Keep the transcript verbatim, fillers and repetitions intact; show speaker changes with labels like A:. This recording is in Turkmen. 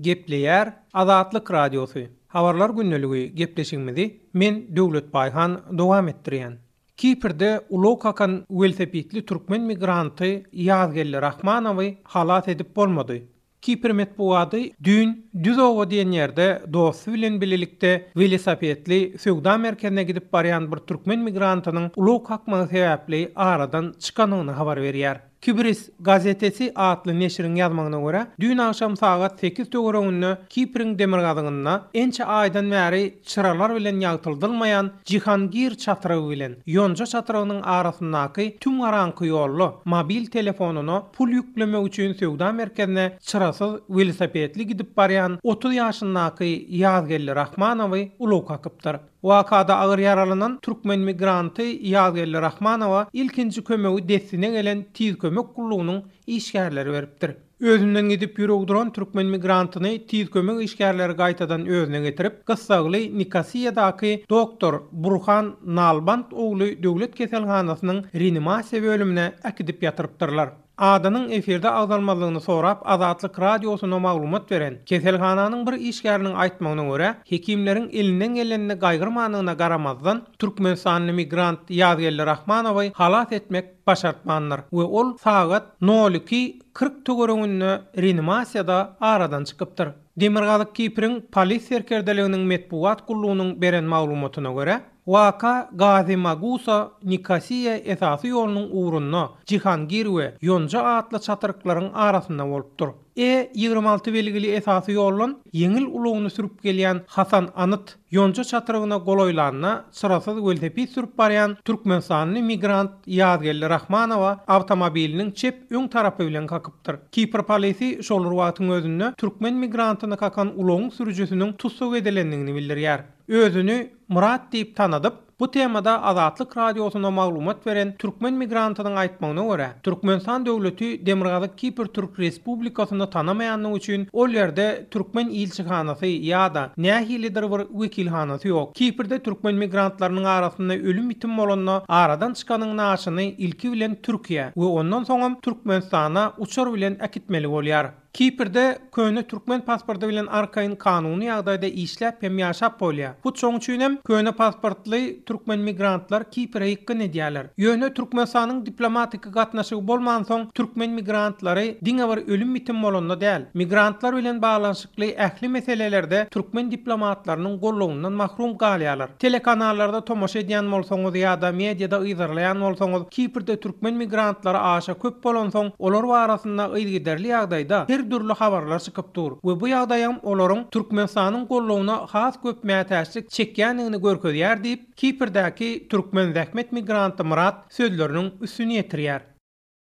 A: Gepleýär Azatlyk Radiosy. Habarlar gündeligi gepleşigimizi men Döwlet Baýhan dowam etdirýän. Kiprde ulag kakan welosipedli türkmen migranty Ýazgeldi Rahmanowy halas edip bolmady. Kipr metbugaty düýn Düzowa diýen ýerde dosty bilen birlikde welosipedli söwda merkezine gidip barýan bir türkmen migrantynyň ulag kakmagy sebäpli aradan çykanyny habar berýär. Kibris gazetesi atly neşiriň ýazmagyna görä, düýn agşam sagat sekiz töwereginde Kipriň demirgazygynda ençe aýdan bäri çyralar bilen ýagtyldylmaýan Jihangir çatrygy bilen Ýonja çatrygynyň arasyndaky tüm garaňky ýolda mobil telefonyna pul ýüklemek üçin söwda merkezine çyrasyz welosipedli gidip barýan otuz ýaşyndaky Ýazgeldi Rahmanowy ulag kakypdyr. Wakada agyr ýaralanan türkmen migranty Ýazgeldi Rahmanowa ilkinji kömegi dessine gelen tiz kömek gullugynyň işgärleri beripdir. Özünden gidip ýüregi duran türkmen migrantyny tiz kömek işgärleri gaýtadan özüne getirip, gyssagly Nikosiýadaky doktor Burhan Nalbant ogly döwlet keselhanasynyň reanimasiýa bölümine äkidip ýatyrypdyrlar. Adanyň efirde agzalmazlygyny sorap Azatlyk Radiosyna maglumat beren keselhananyň bir işgäriniň aýtmagyna görä, hekimleriň elinden gelenini gaýgyrmanyna garamazdan Türkmenistanly migrant Ýazgeldi Rahmanowy halas etmek başartmandyr we ol sagat nol iki kyrk töwereginde reanimasiýada aradan çykypdyr. Demirgazyk Kipriň polis serkerdeliginiň metbugat gullugynyň beren maglumatyna görä, waka Gazi Magusa Nikosiýa esasy ýolunyň ugrunda Jihangir we Ýonja atly çatryklaryň arasynda bolupdyr. E ýigrimi alty belgili esasy ýoldan ýeňil ulagyny sürüp gelýän Hasan Anyt Ýonja çatrygyna golaýlanda çyrasyz welosiped sürüp barýan Türkmenistanly migrant Ýazgeldi Rahmanowa awtomobiliniň çep öň tarapy bilen kakypdyr. Kipr polisi şol wagtyň özünde türkmen migrantyny kakan ulagyň sürüjisiniň tussag edilendigini bildirýär. Özüni Murat diýip tanadyp, bu temada Azatlyk Radiosyna maglumat beren türkmen migrantynyň aýtmagyna görä, Türkmenistan döwleti Demirgazyk Kipr Türk Respublikasyny tanamaýanlygy üçin ol ýerde türkmen ilçihanasy ýa-da nähilidir bir wekilhanasy ýok. Kiprde türkmen migrantlarynyň arasynda ölüm ýitim bolanda aradan çykanyň naşyny ilki bilen Türkiýe we ondan soňam Türkmenistana uçar bilen äkitmeli bolýar. Kiprde köne türkmen pasporty bilen arkaýyn kanuny ýagdaýda işläp hem ýaşap bolýar. Hut şoň üçin hem köne pasportly türkmen migrantlar Kipre ýykgyn edýärler. Ýöne Türkmenistanyň diplomatiki gatnaşygy bolmansoň türkmen migrantlary diňe bir ölüm ýitim bolanda däl, migrantlar bilen baglanyşykly ähli meselelerde türkmen diplomatlarynyň gollugyndan mahrum galýarlar. Telekanallarda tomaşa edýän bolsaňyz ýa-da mediada yzarlaýan bolsaňyz, Kiprde türkmen migrantlary aşa köp bolansoň, olar barasynda yzygiderli ýagdaýda her dürli habarlar çykyp dur we bu ýagdaýam olaryň Türkmenistanyň gollugyna has köp mätäçlik çekýändigini görkezýär diýip, Kiprdäki türkmen zähmet migranty Murat sözleriniň üstüni ýetirýär.